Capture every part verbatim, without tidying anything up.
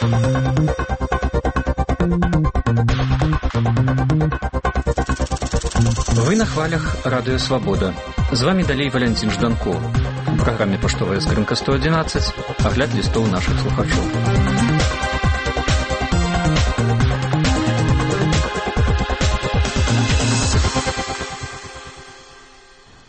Вы на хвалях Радио Свобода. З вами далей Валентин Жданко. У праграме «Паштовая скрынка сто одиннадцать» агляд лістоў нашых слухачоў.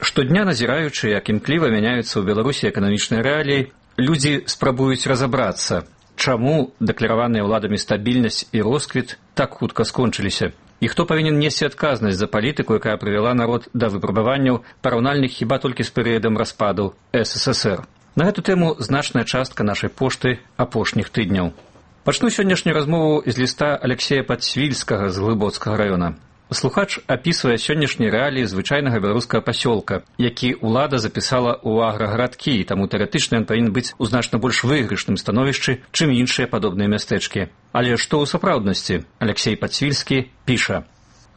Штодня назіраючы, як імкліва мяняюцца ў Беларусі эканамічныя рэаліі, людзі спрабуюць разабрацца, чаму дэклараваныя ўладамі стабільнасць і росквіт так хутка скончыліся. І хто павінен несці адказнасць за палітыку, якая прывяла народ да выпрабаванняў, параўнальных хіба толькі з перыядам распаду эс эс эс эр. На гэту тэму значная частка нашай пошты апошніх тыдняў. Пачну сённяшнюю размову з ліста Алексея Падсвільскага з Глыбоцкага раёна. Слухач апісвае сённяшнія рэаліі звычайнага беларускага пасёлка, які ўлада запісала ў аграгарадкі, і таму тэарэтычна ён павінен быць у значна больш выйгрышным становішчы, чым іншыя падобныя мястэчкі. Але што ў сапраўднасці? Алексей Падсвільскі піша: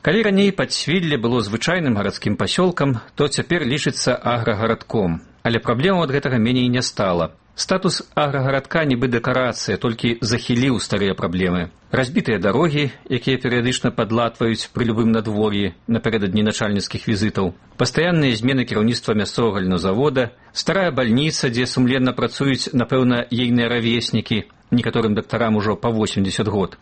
«Калі раней Падсвілле было звычайным гарадскім пасёлкам, то цяпер лічыцца аграгарадком. Але праблемаў ад гэтага меней не стала. Статус аграгарадка нібы дэкарацыя, толькі захіліў старыя праблемы. Разбітыя дарогі, якія перыядычна падлатваюць пры любым надвор'і напярэдадні начальніцкіх візітаў, пастаянныя змены кіраўніцтва мясцовага льнозавода, старая бальніца, дзе сумленна працуюць, напэўна, ейныя равеснікі, некаторым дактарам ужо па восемьдесят год.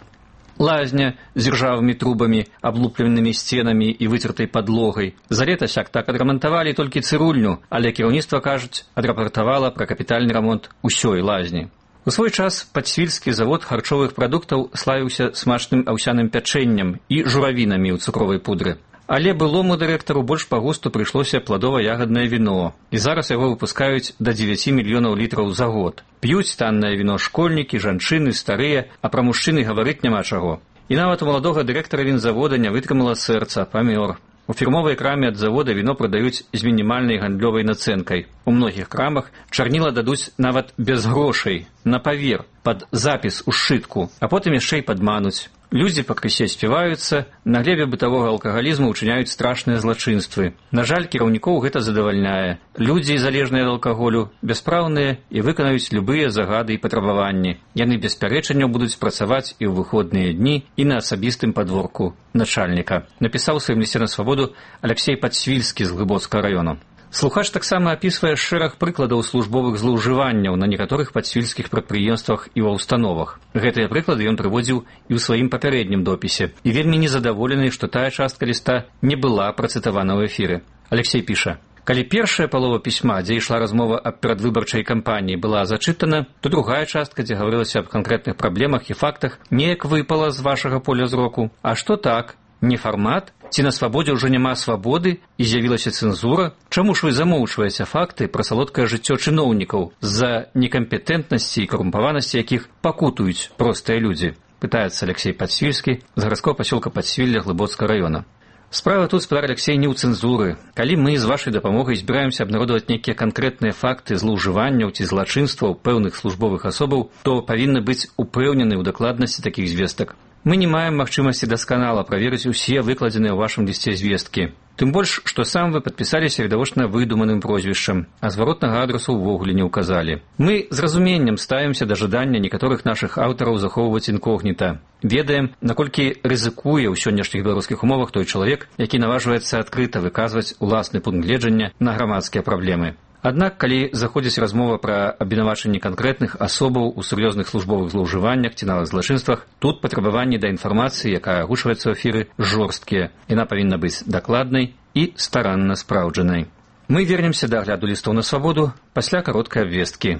Лазня з іржавымі трубамі, аблупленымі сценамі і выцертай падлогай. За лета сяк так адрамантавалі толькі цырульню, але кіраўніцтва, кажуць, адрапартавала пра капітальны рамонт усёй лазні. У свой час Падсвільскі завод харчовых прадуктаў славіўся смачным аўсяным пячэннем і журавінамі ў цукровай пудры. Але былому дырэктару больш па густу прыйшлося пладова-ягаднае віно, і зараз яго выпускаюць да дзевяці мільёнаў літраў за год. П'юць таннае віно школьнікі, жанчыны, старыя, а пра мужчыны гаварыць няма чаго. І нават у маладога дырэктара вінзавода не вытрымала сэрца, памёр. У фірмовай краме ад завода віно прадаюць з мінімальнай гандлёвай нацэнкай. У многіх крамах чарніла дадуць нават без грошай, на павер, пад запіс у сшытку, а потым яшчэ і падмануць. Людзі пакрысе співаюцца, на глебе бытавога алкагалізму ўчыняюць страшныя злачынствы. На жаль, кіраўнікоў гэта задавальняе. Людзі, залежныя ад алкаголю, бяспраўныя і выканаюць любыя загады і патрабаванні. Яны без пярэчанняў будуць працаваць і ў выходныя дні, і на асабістым падворку начальніка. Напісаў у сваім лісце на свабоду Алексей Падсвільскі з Глыбоцкага раёна. Слухач таксама апісвае шэраг прыкладаў службовых злоўжыванняў на некаторых падсвільскіх прадпрыемствах і ва ўстановах. Гэтыя прыклады ён прыводзіў і ў сваім папярэднім допісе, і вельмі незадаволены, што тая частка ліста не была працытавана ў эфіры. Алексей піша: «Калі першая палова пісьма, дзе ішла размова аб перадвыбарчай кампаніі, была зачытана, то другая частка, дзе гаварылася аб канкрэтных праблемах і фактах, неяк выпала з вашага поля зроку. А што так? Не фармат? Ці на свабодзе ўжо няма свабоды і з'явілася цэнзура? Чаму ж вы замоўчваеце факты пра салодкае жыццё чыноўнікаў, з-за некампетэнтнасці і карумпаванасці якіх пакутуюць простыя людзі?» Пытаецца Алексей Падсвільскі з гарадскога пасёлка Падсвілля Глыбоцкага раёна. Справа тут, спадар Алексей, не ў цэнзуры. Калі мы з вашай дапамогай збіраемся абнародаваць нейкія канкрэтныя факты злоўжыванняў ці злачынстваў пэўных службовых асобаў, то павінны быць упэўнены ў дакладнасці такіх звестак. Мы не маем магчымасці дасканала праверыць усе выкладзеныя ў вашым лісце звесткі. Тым больш, што сам вы падпісаліся відавочна выдуманым прозвішчам, а зваротнага адрасу ўвогуле не ўказалі. Мы з разуменнем ставімся да жадання некаторых нашых аўтараў захоўваць інкогніта. Ведаем, наколькі рызыкуе ў сённяшніх беларускіх умовах той чалавек, які наважваецца адкрыта выказваць уласны пункт гледжання на грамадскія праблемы. Аднак, калі заходзіць размова пра абвінавачанні канкрэтных асобаў у сур'ёзных службовых злоўжываннях ці нават злачынствах, тут патрабаванні да інфармацыі, якая агучваецца ў эфіры, жорсткія. Яна павінна быць дакладнай і старанна спраўджанай. Мы вернемся да агляду лістоў на свабоду пасля кароткай абвесткі.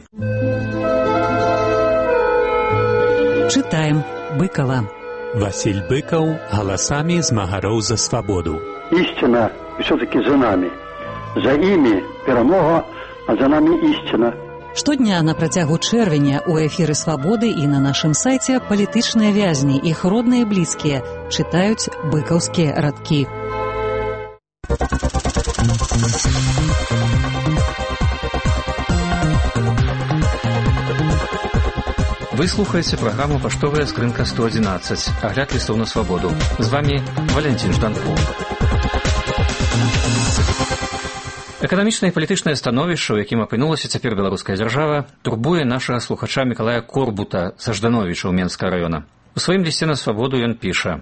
Чытаем Быкова. Васіль Быкаў галасамі змагароў за свабоду. Істина все-таки за нами. За імі перамога, а за намі ісціна. Штодня на працягу чэрвеня ў эфіры «Свабоды» і на нашым сайце палітычныя вязні, іх родныя блізкія, чытаюць быкаўскія радкі. Вы слухаеце праграму «Паштовая скрынка сто одиннадцать», агляд лістоў на свабоду. З вами Валентин Жданко. Эканамічнае і палітычнае становішча, у якім апынулася цяпер беларуская дзяржава, турбуе нашага слухача Мікалая Корбута са Ждановіча ў Менскага раёна. У сваім лісце на свабоду ён піша: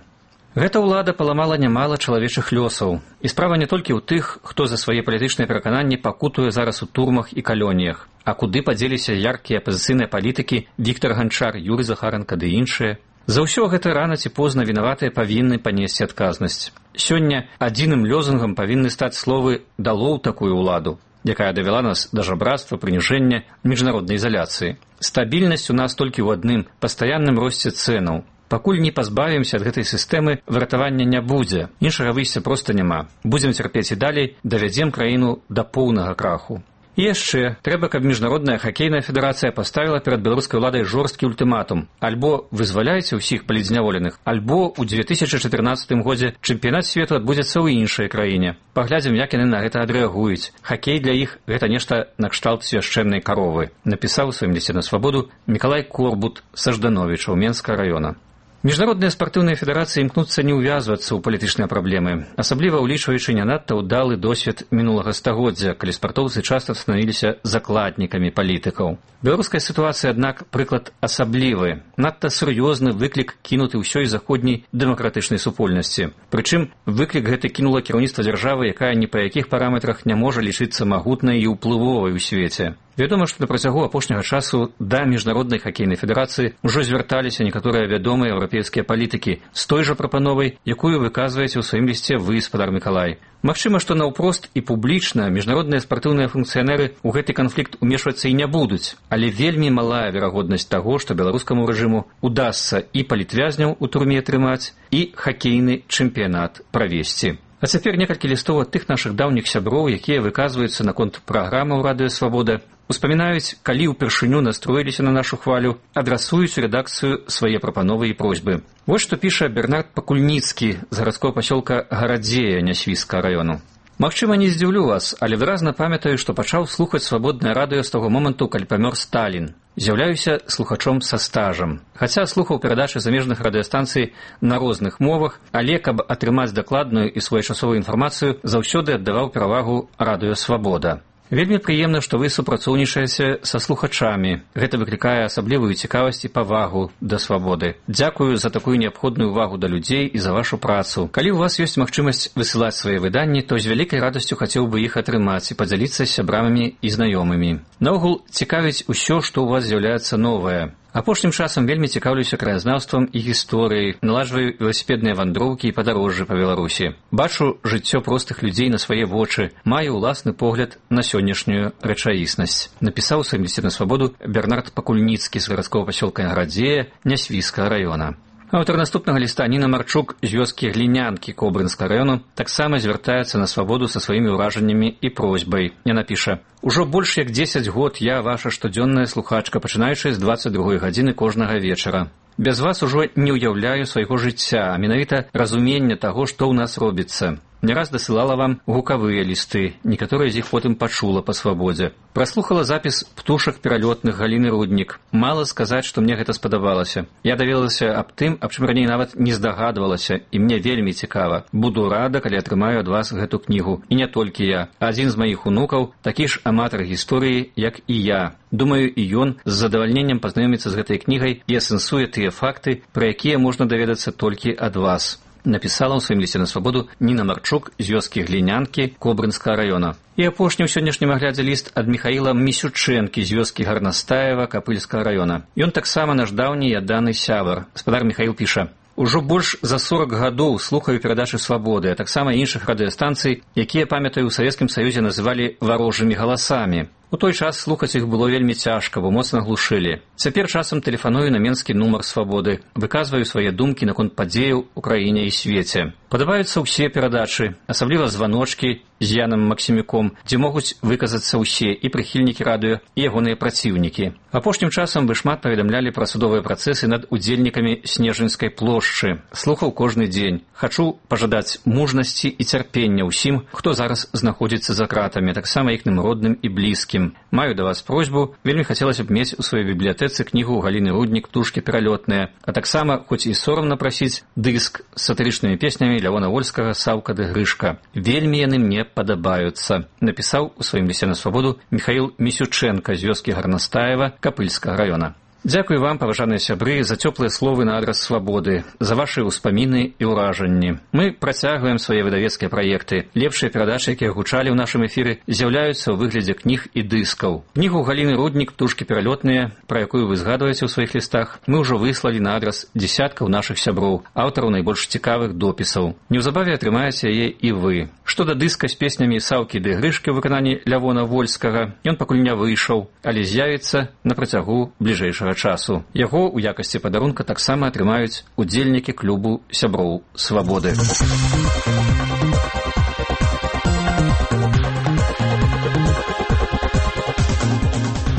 «Гэта ўлада паламала нямала чалавечых лёсаў. І справа не толькі ў тых, хто за свае палітычныя перакананні пакутуе зараз у турмах і калоніях, а куды падзеліся яркія апазіцыйныя палітыкі Віктар Ганчар, Юрый Захаранка ды іншыя. За ўсё гэта рана ці позна вінаватыя павінны панесці адказнасць. Сёння адзіным лёзунгам павінны стаць словы «дало ў такую ўладу», якая давяла нас да жабрацтва, прыніжэння, міжнароднай ізаляцыі. Стабільнасць у нас толькі ў адным – пастаянным росце цэнаў. Пакуль не пазбавімся ад гэтай сістэмы, выратавання не будзе. Іншага выйсця проста няма. Будзем цярпець і далей, давядзем краіну да поўнага краху. І яшчэ, трэба, каб Міжнародная хакейная федэрацыя паставіла перад беларускай уладай жорсткі ультыматум. Альбо вызваляйце ўсіх палітзняволеных, альбо ў дзве тысячы чатырнаццатым годзе чэмпіянат свету адбудзецца ў іншай краіне. Паглядзім, як яны на гэта адрэагуюць. Хакей для іх – гэта нешта накшталт свяшчэннай каровы. Напісаў у сваім лісце на свабоду Мікалай Корбут са Ждановіча ў Менскага раёна. Міжнародныя спартыўныя федэрацыі імкнуцца не ўвязвацца ў палітычныя праблемы, асабліва ўлічваючы не надта ўдалы досвед мінулага стагоддзя, калі спартоўцы часта станавіліся закладнікамі палітыкаў. Беларуская сітуацыя, аднак, прыклад асаблівы. Надта сур'ёзны выклік кінуты ўсёй заходняй дэмакратычнай супольнасці. Прычым, выклік гэты кінула кіраўніцтва дзяржавы, якая ні па якіх параметрах не можа лічыцца магутнай і ўплывовай у свеце. Вядома, што на працягу апошняга часу да Міжнароднай хакейнай федэрацыі ўжо звярталіся некаторыя вядомыя еўрапейскія палітыкі з той жа прапановай, якую выказваеце ў сваім лісце вы, спадар Мікалай. Магчыма, што наўпрост і публічна міжнародныя спартыўныя функцыянеры ў гэты канфлікт умешвацца і не будуць, але вельмі малая верагоднасць таго, што беларускаму рэжыму удасца і палітвязняў у турме трымаць, і хакейны чэмпіянат правесці. А цяпер некалькі лістоў ад тых нашых даўніх сяброў, якія выказваюцца наконт праграмаў Радыё Свабода, успамінаюць, калі ўпершыню настроіліся на нашу хвалю, адрасуюць у рэдакцыю свае прапановы і просьбы. Вось што піша Бернард Пакульніцкі з гарадскога пасёлка Гарадзея Нясвіжскага раёну. Магчыма, не здзіўлю вас, але выразна памятаю, што пачаў слухаць свабоднае радыё з таго моманту, калі памёр Сталін. З'яўляюся слухачом са стажам. Хаця слухаў перадачы замежных радыёстанцый на розных мовах, але каб атрымаць дакладную і своечасовую інфармацыю, заўсёды аддаваў перавагу Радыё Свабода. Вельмі прыемна, што вы супрацоўнічаеце са слухачамі. Гэта выклікае асаблівую цікавасць і павагу да свабоды. Дзякую за такую неабходную ўвагу да людзей і за вашу працу. Калі ў вас ёсць магчымасць высылаць свае выданні, то з вялікай радасцю хацеў бы іх атрымаць і падзяліцца з сябрамі і знаёмымі. Наогул цікавіць усё, што ў вас з'яўляецца новае. Апошнім часам вельмі цікаўлюся краязнаўствам і гісторыяй, наладжваю веласіпедныя вандроўкі і падарожжы па Беларусі. Бачу жыццё простых людзей на свае вочы, маю ўласны погляд на сённяшнюю рэчаіснасць. Напісаў у сваім лісце на свабоду Бернард Пакульніцкі з гарадскога пасёлка Гарадзея Нясвіжскага раёна. Аўтар наступнага ліста Ніна Марчук з вёскі Глінянкі Кобрынскага раёну таксама звяртаецца на свабоду са сваімі ўражаннямі і просьбай. Яна піша: «Ужо больш як дзесяць год я ваша штодзённая слухачка, пачынаючы з дваццаць другой гадзіны кожнага вечара. Без вас ужо не ўяўляю свайго жыцця, а менавіта разумення таго, што ў нас робіцца. Не раз дасылала вам гукавыя лісты, некаторыя з іх потым пачула па свабодзе. Праслухала запіс птушак пералётных Галіны Руднік. Мала сказаць, што мне гэта спадабалася. Я даведалася аб тым, аб чым раней нават не здагадвалася, і мне вельмі цікава. Буду рада, калі атрымаю ад вас гэту кнігу. І не толькі я. Адзін з маіх унукаў такі ж аматар гісторыі, як і я. Думаю, і ён з задавальненнем пазнаёміцца з гэтай кнігай і асэнсуе тыя факты, пра якія можна даведацца толькі ад вас». Напісала ў сваім лісце на свабоду Ніна Марчук з вёскі Глінянкі Кобрынскага раёна. І апошні ў сённяшнім аглядзе ліст ад Міхаіла Місючэнкі з вёскі Гарнастаева Капыльскага раёна. Ён таксама наш даўні і адданы сябар. Спадар Міхаіл піша: «Ужо больш за сорак гадоў слухаю перадачы свабоды, а таксама іншых радыёстанцый, якія, памятаю, у Савецкім Саюзе называлі варожымі галасамі. У той час слухаць іх было вельмі цяжка, бо моцна глушылі. Цяпер часам тэлефаную на менскі нумар свабоды, выказваю свае думкі наконт падзеяў у краіне і свеце. Падабаюцца ўсе перадачы, асабліва званочкі з Янам Максімюком, дзе могуць выказацца ўсе і прыхільнікі радыё, і ягоныя праціўнікі. Апошнім часам вы шмат паведамлялі пра судовыя працэсы над удзельнікамі Снежынскай плошчы. Слухаў кожны дзень. Хачу пажадаць мужнасці і цярпення ўсім, хто зараз знаходзіцца за кратамі, таксама іхным родным і блізкім. усім. Маю да вас просьбу, вельмі хацелася б мець у сваёй бібліятэцы кнігу Галіны Руднік «Птушкі пералётныя», а таксама, хоць і сорамна прасіць, дыск з сатырычнымі песнямі Лявона Вольскага «Саўка ды Грышка». Вельмі яны мне падабаюцца, напісаў у сваім лісце на свабоду Міхаіл Місючэнка з вёскі Гарнастаева Капыльскага раёна. Дзякую вам, паважаныя сябры, за цёплыя словы на адрас свабоды, за вашы ўспаміны і ўражанні. Мы працягваем свае выдавецкія праекты. Лепшыя перадачы, якія гучалі ў нашым эфіры, з'яўляюцца ў выглядзе кніг і дыскаў. Кнігу Галіны Руднік «Птушкі пералётныя», пра якую вы згадваеце ў сваіх лістах, мы ўжо выслалі на адрас дзясяткаў нашых сяброў, аўтараў найбольш цікавых допісаў. Неўзабаве атрымаеце яе і вы. Што да дыска з песнямі «Саўкі ды Грышкі» ў выкананні Лявона Вольскага, ён пакуль не выйшаў, але з'явіцца на працягу бліжэйшага часу. Яго ў якасці падарунка таксама атрымаюць удзельнікі клубу сяброў свабоды.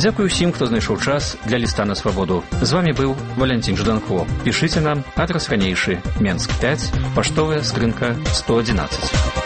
Дзякую ўсім, хто знайшоў час для ліста на свабоду. З вамі быў Валянцін Жданко. Пішыце нам, адрас ранейшы, Менск пяць, паштовая скрынка сто адзінаццаць.